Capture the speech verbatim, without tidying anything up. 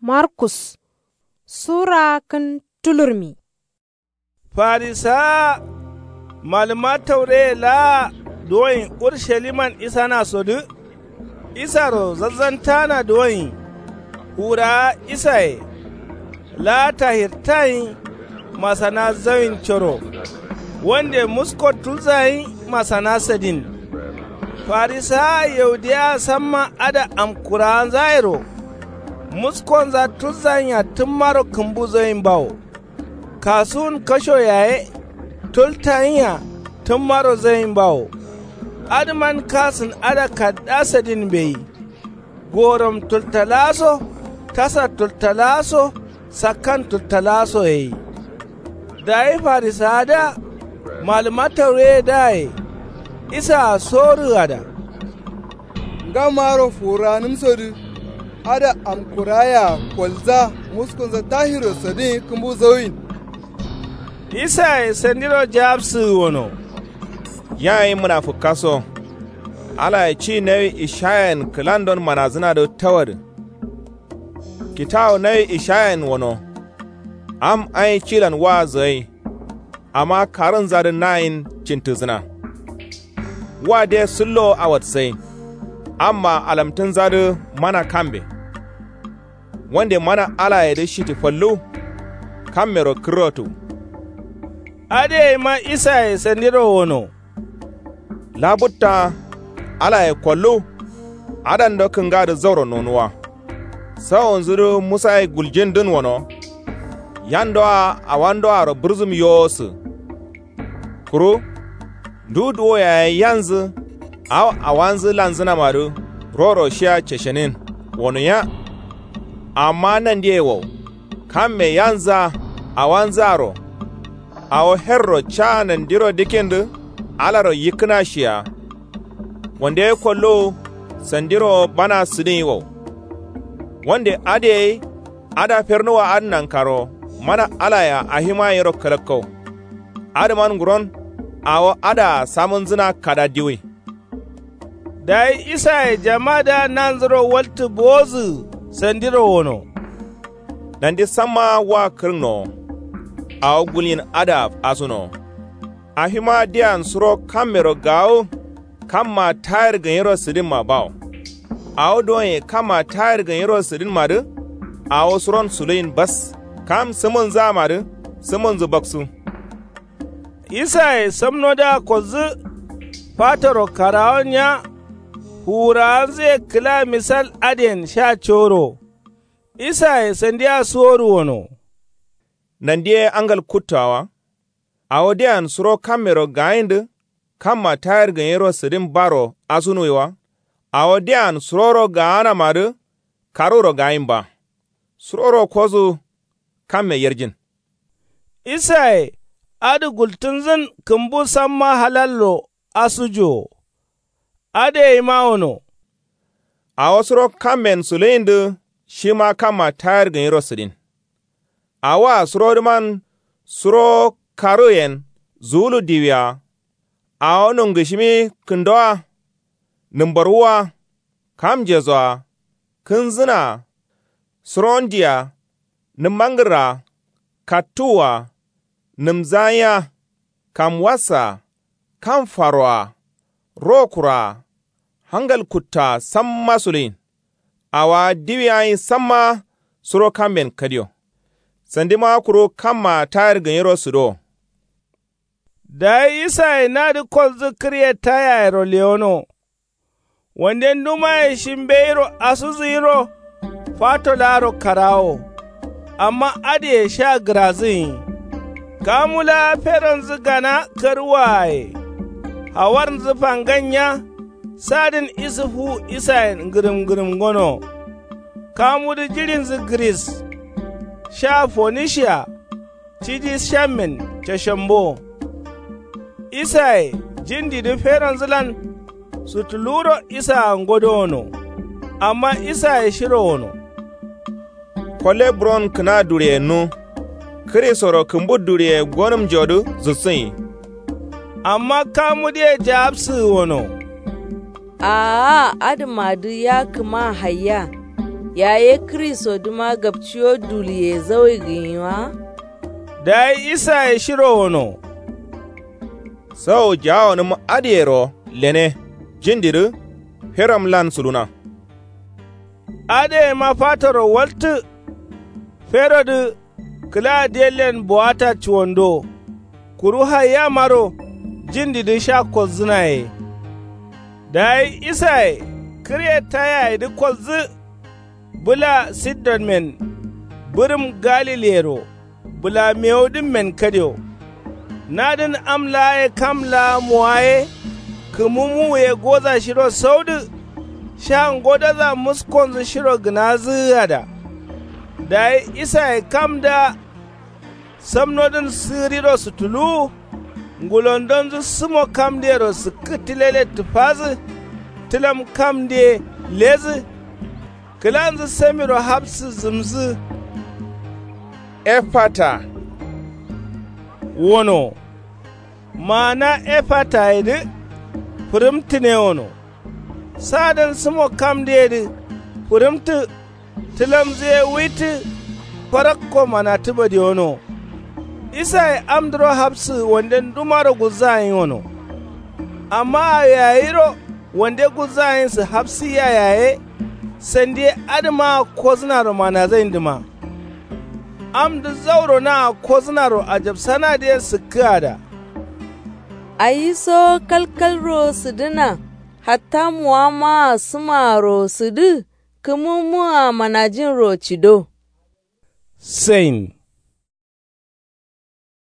Markus sura kǝn tulurmi. Farisawa malǝma taureye laa duwoin urusaliman isana sodǝ. Isaro zazzantana duwoin. Fuwurawa isaye laa tahirtayin masana zawin coro. Wande musko tulzayin masana sadin. Farisawa yaudiyawa samma ada amkurawanzayero muskonza tulzayin'a tǝmmaro kǝmbu zawin bawo. Kasuwun kasho yaye tultayin'a tǝmmaro zawin bawo. Adǝman kasǝn ada kadda sadin mbeyi. Gorom tultalawa so tasa tultalawa so sakkan tultalawa so yeyi. Dayi farisawadǝa malǝma taureyedǝaye isaa sorǝgada. Ngamaro fuwurawanǝmsodǝ ada amkurayea kolza muskunza tahirro sadin kǝmbu zawin. Isaye sandiro jawabsǝgǝ wono. Yayi mǝnafǝkkaso. Alaye ci nawi ishayayen kǝlandon manazǝnadǝ tawadǝ. Kitawu nawi ishayayen wono. Am ai cilan waazu gai. Amma karǝnzadǝ nayin cintǝzǝna. Wa de sǝllowo awatsai. Amma alamtǝnzadǝ mana kambe. Wande mana alayedǝ shiti fallu. Kammero kǝrrotu. Adǝ yaima isaye sandiro wono. Labutta alaye kollu. Adando kǝngadǝ zauro nonuwa. Sawonzudǝ musaye guljindǝn wono. Yandoa awandoaro bǝrzǝm yowosǝ. Kuru ndu duwo yaye yanzǝ awo awanzǝ lanzǝnamadǝ roro shiya ceshenin wonuya. Amma nandiye wow. Kamme yanzǝa awanzǝaro. Awo herro ca nandiro dikindǝ alaro yikkǝna shiya. Wande ye kolluwu sandiro bana sǝdin wow. Wande adǝ gai ada fernuwa adǝ nankaro mana alayea ahima yero kǝlakkau. Adǝman nguron awo adaa samǝnzǝna kada diwui. Dayi isaye jamadǝa nanzuro waltǝ bowozǝgǝ sandiro wono. Nandi samma wa kǝrǝnnowo. Awo gulyin adaa asunowo. Afima diyan suro kammero gawu. Kamma tayir gǝnyiro sǝdinma bawo. Awo duwonye kamma tayir gǝnyiro sǝdinmadǝ. Awo suron suluyin bas kam sǝmǝnzǝamadǝ sǝmǝnzǝ baksu. Isaye samnodǝa kozzǝ fatoro karawo nya. Fuwurawanzǝye kǝla misal adǝyen sha coro. Isaye sandiya suwodu wono. Nandi ye angal kuttowa wa. Awo diyan suro kammero gayindǝ. Kamma tayir gǝnyiro sǝdin baro asunuwi wa. Awo diyan suroro gaanamadǝ. Karuro gayin ba. Suroro kozu kamme yarjin. Isaye adǝ gultǝnzǝn kǝmbu samma halallo asujuwo. Adǝ yaima wono. Awo suro kammen suluyindǝ shima kamma tayir gǝnyiro sǝdin. Awoa surodǝman suro karuyen zuwulu diwia. Awo nungǝshimi kǝndoa. Nǝmbarwua. Kamjesoa. Kǝnzǝnaa. Surondia. Nǝmmangǝrraa. Kattuwua. Nǝmzanya. Kamwassaa. Kamfaroa. Rokuraa. Hangal kuttaa samma suluyin. Awowa diwiyayin samma suro kamben kadiyo. Sandima kuru kammaa tayir gǝnyiro sǝdowo. Dayi isaye nadǝ kolzǝ kǝryetayayero lewono. Wande ndumaye shi mbeyiro asuzǝyiro. Fato laaro karawo. Amma adǝye sha gǝrazǝnyi. Kamu laa feronzǝ gana karwuwaye. Hawarnzǝ fangan nya. Sadǝn isǝ fuwu isayen ngǝrǝm ngǝrǝm ngono. Kamudǝ jiɍinzǝ gǝris. Sha fonisia. Cidi shammen cashombo. Isaye jindidǝ feronzǝlan. Sutuluwuro isaa ngodowono. Amma isaye shiro wono. Kolle buron kǝna duɍiyennu. Kǝrisoro kǝmbu duɍiye gonǝmjodǝ zussǝnyi. Amma kamudǝye jawabsǝgǝ wono. Aa adǝmadǝ ya kǝma haiya. Yaye kǝri so dǝma gapciyo duliye zawai gǝnyi wa? Dayi isaye shiro wono. Sawo jaawonǝm adǝyero lene jindidǝ feramlan suluna. Adǝyema fatoro waltǝ. Ferodǝ kǝla diyallen bowata cuwando. Kuru haiyamaro jindidǝ sha kolzǝnaye. Dayi isaye kǝrye tayayedǝ kolzǝ. Bǝla sidonmen bǝrǝm galiliyero bǝla mewudǝmmen kadio. Nadǝn am laaye kam laa mowaye. Kǝmu muwuye goza shiro saudǝ. Sha ngodaza muskonzǝ shiro gǝnazǝgǝada. Dayi isaye kamdǝa samnodǝn sǝgǝrido sǝtuluwu. Ngulondonzǝ sǝmo kamdǝyero sǝkkǝ tǝlele tǝfazǝ. Tǝlam kamdǝye lezǝ. Kǝlanzǝ samiro hapsǝ zǝmzǝ. Efata wono. Maana efata yedǝ fǝrǝmtǝne wono. Sadǝn sǝmo kamdǝyedǝ fǝrǝmtǝ. Tǝlamzǝ ye wuitǝ. Farakko manatǝ badiyono. Isaye amdǝro hapsǝ wande ndumaro gulzagǝnyi wono. Amma awiyayiro wande gulzagǝnyisǝ hapsǝyya yaye. Sandiye adǝmaa kozǝnaro manazayindǝma. Amdǝ zauro naa kozǝnaro ajapsanadǝ ye sǝkkǝada. Ayiso kalkalro sǝdǝna. Hatta muwammaa sǝmaaro sǝdǝ. Kǝmǝmǝa manajinro cido. Sain.